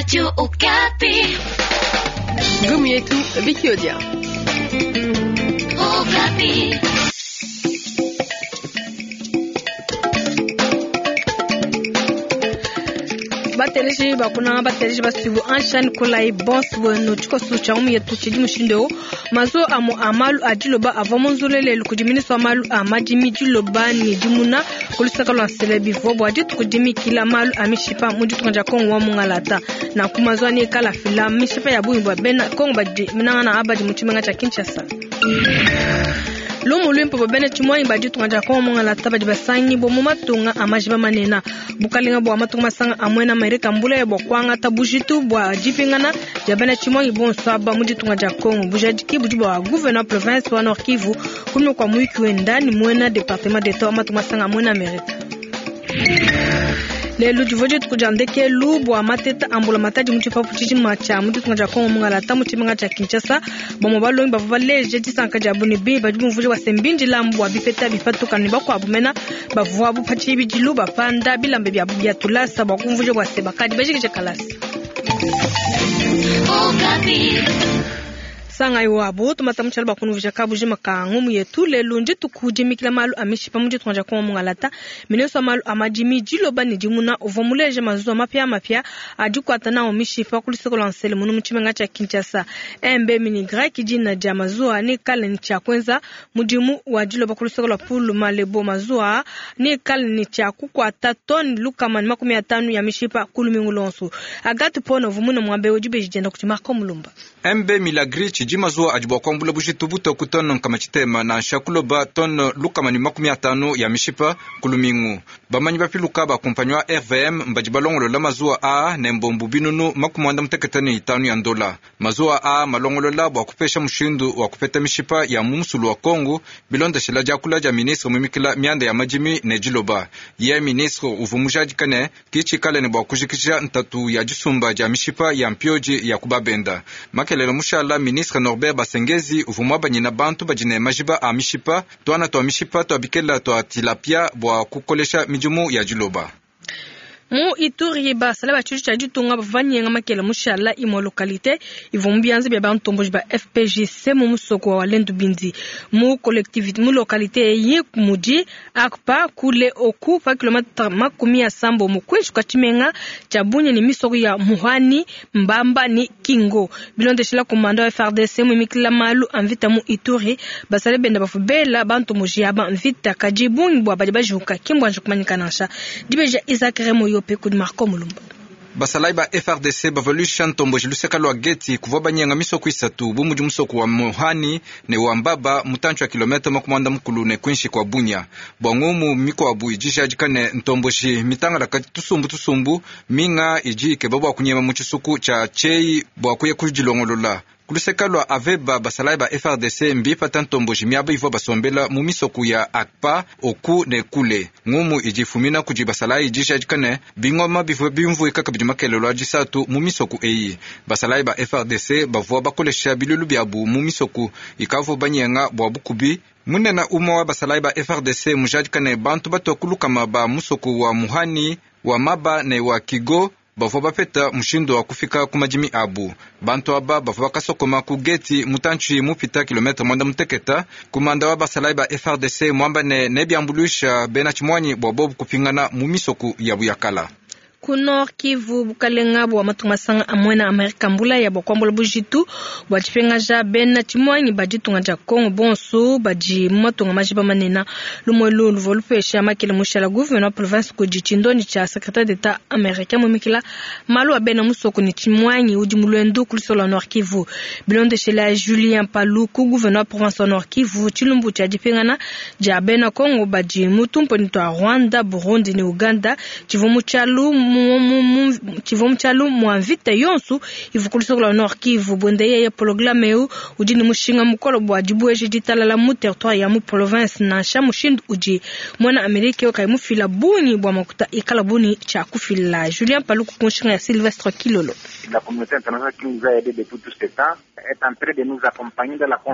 Radio Okapi. Ngumu yetu Vicky Odia. Okapi. Bateleji bakunanga bateleji basuibu anshani kolayi bonso bwenu tshikoso tshia ngumu yetu tshidi mushindu eu mazuwa amu a malu a diloba avua munzule lelu kudi minista wa malu a madimi diloba ne dimuna ku lusaka lua nsele bivua bua dituku dimikila malu a mishipa mu ditunga dia Kongo wa mungalata. Nanku mazuwa neikala afila mishipa ya bungi bua bena Kongo badi nangananga badi mu tshimenga tshia Kinshasa. Lumu luimpe bua bena tshimuangi ba ditunga dia Kongo mungalata badi basangibua mu matunga a majiba manene. Bukalenga bua matunga masanga a muena Amerika mbulaya bua kuangata bujitu bua dipingana dia bena tshimuangi bonso aba mu ditunga dia Kongo. Bujadiki budi bua gouverneur province wa Nord Kivu kunyima kua muyuki wenda ne muena departement d'etat wa matunga masanga a muena Amerika. Lelu divua dituku dia ndekelu bua mateta a mbulamatadi mu tshipapu tshijima tshia mu ditunga dia Kongo mungalata mu tshimenga tshia Kinshasa. Bamue balongi bavua baleje disanka diabu ne bi badi bumvuija bua se mbindilamu bua bipeta bipatuka ne bakuabu mena bavuabu pa tshibidilu bapanda bilamba biabu bia tulasa bua kumvuija bua se bakadi bajikije kalasa. Okapi. Sangayi wabu tumata mu tshialu bua kunuvija kabujima ka ngumu yetu. Lelu ndituku dimikila malu a mishipa mu ditunga dia Kongo mungalata. Ministre wa malu a madimi diloba ne dimuna uvua muleje mazuwa mapiamapia a dikuata nawu mishipa ku luseke lua nsele munu mu tshimenga tshia Kinshasa. MB Minigrec dina dia mazuwa neikale ne tshia kuenza mudimu wa diloba ku luseke lua Pulu Malebo. Mazuwa neikale ne tshia kukuata tone 150 ya mishipa ku lumingu luonso. Agathe Pona uvua muine muaba eu dibeji dienda kudi Marco Mulumba. MB Milagri tshidi mazuwa adi bua kuambula bujitu butue ku tone 60 nansha kuloba tone 150 ya mishipa ku lumingu. Bamanyi bapiluka ba kumpanyi wa RVM mbadi balongolola mazuwa aa ne mbombu 985 ya ndola. Mazuwa aa malongolola bua kupesha mushindu wa kupeta mishipa ya mu musulu wa Kongo bilondeshela diakula dia ministre mumikila mianda ya madimi ne diloba. Ye ministre uvua mujadika ne kitshikale ne bua kujikija ntatu ya disumba dia mishipa ya mpioji ya kubabenda. Makelele mushala ministre Norbert Basengezi uvua muabanyina bantu badi ne majiba a mishipa tuana tua mishipa tua bikela tua tilapia bua kukolesha midimu ya diloba. Mu Ituri basala ba tshilu tshia ditunga bavua banyenga makela mushala imue localité ivua mu bianza bia bantomboji ba FPGC mu musoko wa Walendu Bindi. Mu collectivité mu localité eyi mudi Akpa kule oku pa kilomètre 70 mu kwinshi kwa tshimenga tshia Bunia ne misoko ya Muhani, Mbamba ne Kingo. Bilondeshela komanda wa FARDC muimikila malu a mvita mu Ituri basala benda bavua bela bantomboji aba mvita kadi bungi bua badi bajuka ki mbuanji kumanyika nansha. Dibeja Isaac Remo Yope kudi Marco Mulumba. Basalayi ba FARDC bavaluisha ntomboji luseka lua Geti kuvua banyenga misoko isatu bu mudi musoko wa Muhani ne wa Mbaba mutantshi wa kilomètre 90 ne kwinshi kwa Bunia. Bua ngumu mikuabu idi ijadika ne ntomboji mitangalaka tusumbu tusumbu minga idi ikeba bua kunyema mu tshisuku tshia Tshei bua kuya kudilongolola. Kuluseka lua Aveba basalayi ba FARDC mbipata ntomboji miaba ivua basombela mu misoko ya Akpa, Oku ne Kule. Ngumu idi ifumina kudi basalayi idi ijadika ne bingoma bivua bimvuika kabidi makelelo a disatu mu misoko eyi. Basalayi ba FARDC bavua bakolesha bilulu biabu mu misoko ikavua banyenga bua bukubi. Munene umue wa basalayi ba FARDC mujadika ne bantu batua ku lukama ba musoko wa Muhani, wa Maba ne wa Kigo bavua bapeta mushindu wa kufika ku madimi abu. Bantu aba bavua bakasokoma ku Geti mutantshi mupita kilomètre 96. Kumanda wa basalayi ba FARDC muamba ne nebiambuluisha bena tshimuanyi bua bobu kupingana mu misoko yabu ya kala. Ku Nord Kivu bukalenga bua matunga masanga a muena Amerika mbulaya bua kuambula bujitu bua dipingaja bena tshimuangi ba ditunga dia Kongo bonso badi mu matunga majiba manene. Lumue lu luvua lupesha makele mushala gouverneur wa province kudi tshindondi tshia secrétaire d'État américain mumikila malu a bena musoko ne tshimuangi udi mu luendu ku luseke lua Nord Kivu. Bilondeshela Julien Paluku gouverneur wa province wa Nord Kivu tshilumbu tshia dipingana dia bena Kongo badi mu tumponi tua Rwanda, Burundi ne Uganda tshivua mu tshialu tshivua mu tshialu mua mvita yonso ivua ku luseke lua Nord Kivu. Buenda yeye programme eu udi ne mushinga mukole bua dibueja ditalala mu territoire ya mu province nansha mushindu udi muena Amerika kayi mufila bungi bua makuta ikala buni tshia kufila. Julien Paluku ku nshinga ya Sylvestre Kilolo. La communauté internationale qui nous a aidés depuis tout ce temps.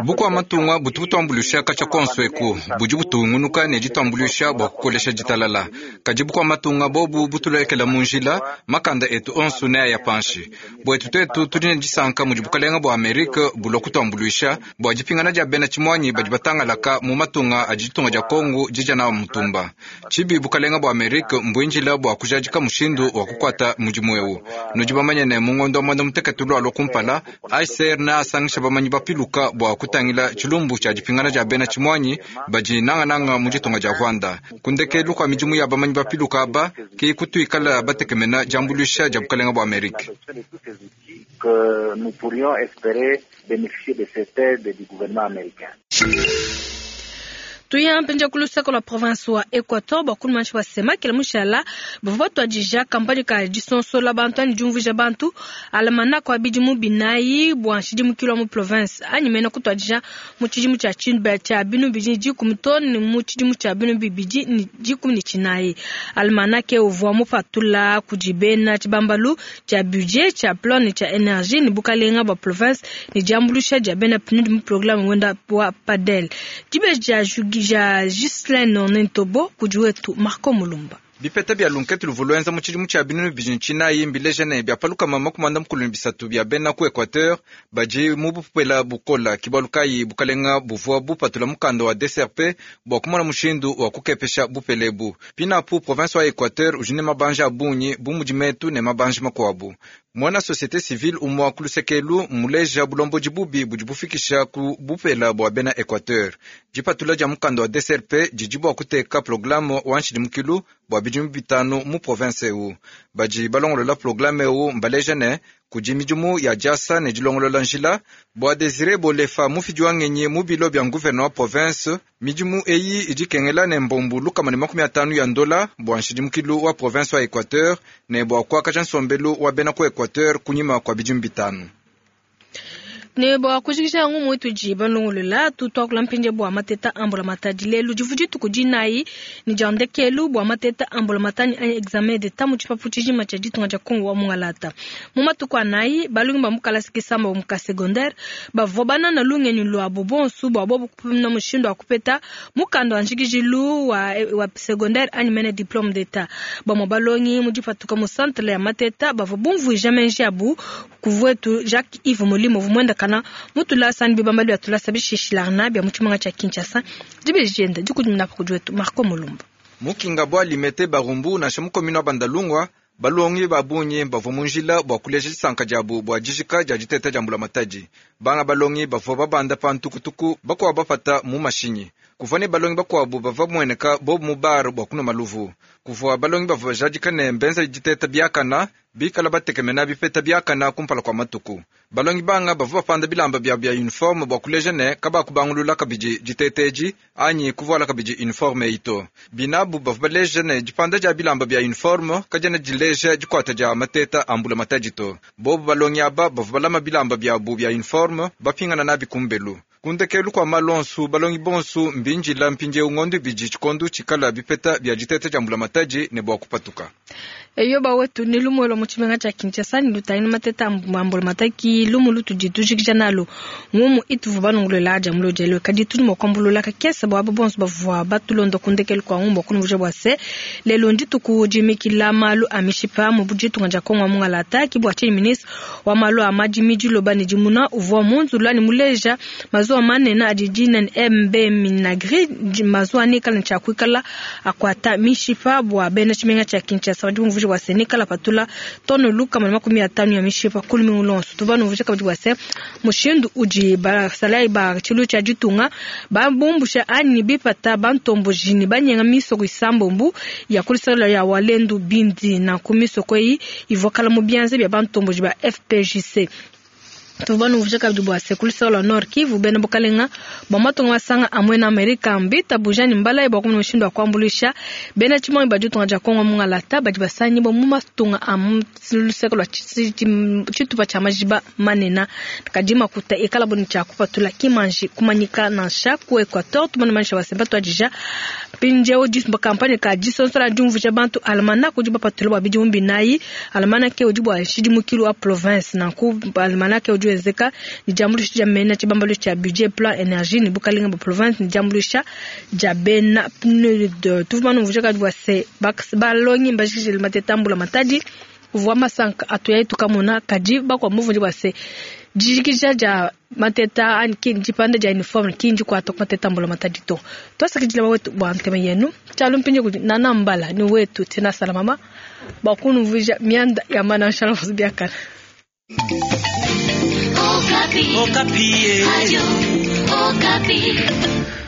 Bukua matunga butu butuambuluisha katshia kuonso eku, budi butungunuka ne dituambuluisha bua kukolesha ditalala. Kadi bukua matunga bobu butulekela mu njila, makanda etu onso neaya panshi. Buetu tuetu tudi ne disanka mudi bukalenga bua Amerika bulua kutuambuluisha bua dipingana dia bena tshimuanyi badi batangalaka mu matunga adi ditunga dia Kongo didia nawu mutumba. Tshibi bukalenga bua Amerika mbuindila bua kujadika mushindu wa kukuata mudimu eu. Nudi bamanye ne mu ngondo wa muanda mutekete lualua kumpala, HCR neasangishe bamanyi bapiluka bua kutangila tshilumbu tshia dipingana dia bena tshimuanyi badi nangananga mu ditunga dia Rwanda. Ku ndekelu kua midimu ya bamanyi bapiluka aba ke kutuikala batekemena diambuluisha dia bukalenga bua Amerika. Que nous pourrions espérer bénéficier de cette aide du gouvernement américain. Tuya mpindieu ku luseke lua province wa Equateur bua kulumansha bua sema kela mushala bavua batuadija kampanye ka disonsola bantu anyi diumvuija bantu almanach wa bidimu binayi bua nshidimukilu wa mu province anyi mena kutuadija mu tshidimu tshia tshia binu bibidi ne dikumi too ne mu tshidimu tshia binu bibidi ne dikumi ne tshinayi. Almanach uvua mupatula kudi bena tshibambalu tshia budget tshia plan ne tshia energie ne bukalenga bua province ne diambuluisha dia bena PNUD mu programme wenda wa PADEL. Dibeji dia dia Ghislaine Ntobo kudi wetu Marco Mulumba. Bipeta bia lunkete luvua luenza mu tshidimu tshia 2004 mbileja ne bia pa 153 bia bena ku Equateur badi mu bupela bukola. Ke bualu kayi bukalenga buvua bupatula mukanda wa DCRP bua kumona mushindu wa kukepesha bupele ebu. Pinapu province wa Equateur udi ne mabanji a bungi bu mudi metu ne mabanji makuabu. Muena société civile umua ku luseke elu mmuleja bulombodi bubi budi bufikisha ku bupela bua bena Equateur. Dipatula dia mukanda wa DCRP didi bua kuteka programme wa nshidimukilu bua bidimu bitanu mu province eu. Badi balongolola programme eu mbaleja ne kudi midimu ya diasa ne dilongolola njila bua Desire Bolefa mufidi wa ngenyi mu bilo bia gouverneur wa province. Midimu eyi idi ikengela ne mbombu 150 ya ndola bua nshidimukilu wa province wa Equateur ne bua kuakaja nsombelu wa bena ku Equateur kunyima kua bidimu bitanu. Ne bua kujikija ngumu itudi balongolola tutuakula mpindieu bua mateta a mbulamatadi. Lelu divu dituku dinayi ne dia ndekelu bua mateta a mbulamatadi anyi examen d'etat mu tshipapu tshijima tshia ditunga dia Kongo wa mungalata. Mu matuku anayi balongi ba mu kalasa kisamba mu ka secondaire bavua banana lungenyi luabu bonso bua bobu kupimuna mushindu wa kupeta mukanda wa njikijilu wa, wa secondaire anyi mene diplôme d'etat. Bamue balongi mu dipatuka mu centre ya mateta bavua bumvuija menji abu kuvuetu Jacques Yves Molimo vumuenda kana mutulasa ni bibambalu bia tulasa bishishilana bia mu tshimenga tshia Kinshasa. Dibeji dienda dikudimuna pa kudi wetu Marco Mulumba. Mukinga bua limete Barumbu nansha mu commune wa Bandalungwa balongi ba bungi bavua mu njila bua kuleja disanka diabu bua dijika dia diteta dia mbulamatadi. Banga balongi bavua babanda pa ntukutuku, bakuabu bapata mu mashinyi. Kuvua ne balongi bakuabu bavua bamueneka bobu mu bar bua kunua maluvu. Kuvua balongi bavua bajadika ne mbenza diteta biakana bikala batekemena bipeta biakana kumpala kua matuku. Balongi banga bavua bapanda bilamba biabu bia uniforme bua kuleja ne kabakubangulula kabidi diteta edi anyi kuvuala kabidi uniforme eyi to. Binabu bavua baleja ne dipanda dia bilamba bia uniforme kadiena dileja dikuata dia mateta a mbulamatadi to. Bobu balongi aba bavua balama bilamba biabu bia uniforme bapingana nabi kumbelu. Ku ndekelu kua malu onso balongi bonso mbindila mpindieu ngondo ibidi tshikondo tshikala bipeta bia diteta dia mbulamatadi ne bua kupatuka. Eyo bawetu ni lumu lwa mu tshimenga tshia Kinshasa ni lutangila mateta a mbulamatadi lumu lutudi tujikija nalu ngumu ituvua balongolola dia mulodi elu. Kadi tudi mua kuambulula kakese bua aba bonso bavua batulonda ku ndekelu kua ngumu bua kunumvuija bua se lelu ndituku dimikila malu a mishipa mu ditunga dia Kongo wa mungalata. Ki bua tshinyi ministre wa malu a madimi diloba ne dimuna uvua munzula ne muleja mazuwa manene adi dina ne MB Minagri mazuwa nikala ne tshiakuikala akuata mishipa bua bena tshimenga tshia Kinshasa. Badi bumvuija bua se nikala patula tone 150 ya mishipa ku lumingu luonso. Tuvua numvuija kabidi bua se mushindu udi basalayi ba tshilu tshia ditunga babumbusha anyi bipata bantomboji ne banyenga misoko isambombu ya kulisala ya Walendu Bindi nanku misoko eyi ivua kala mu bianza bia bantomboji ba FPJC. Tuvua numvuija kabidi bua se kuluseke lua Nord Kivu bena bukalenga bua matunga masanga a muena Amerika mbitabuja ne mbalayi bua kumona mushindu wa kuambuluisha bena tshimuangi ba ditunga dia Kongo mungalata badi basangibua mu matunga a mu luseke lua tshitupa tshia majiba manene. Kadi makuta ikala bo ne tshia kupatula kimanji kumanyika nansha ku Equateur. Tumone manyisha bua se batuadija mpindieu kampanye ka disonsola diumvuija bantu almanach udi bapatula bua bidimu binayi. Almanach udi bua nshidimukilu wa province nanku almanach udi wenzeka ne diambuluisha dia mena tshibambalu tshia budget plan energie ne bukalenga bua province ne diambuluisha dia bena PNUD. Tuvua banumvuija kadi bua se balongi mbajikije mateta mbula matadi uvua masanka atuyayi tukamona kadi bakuabu muvundi bua se dijikija dia mateta anyi ki dipanda dia uniforme ki ndikuata ku mateta mbula matadi to. Tuasakidila wetu bua ntema yenu tshialu mpindieu kudi Nana Mbala ni wetu Tina Salamama bua kunumvuija mianda ya mananshala biakana. Okapi. Okapi. Radio Okapi.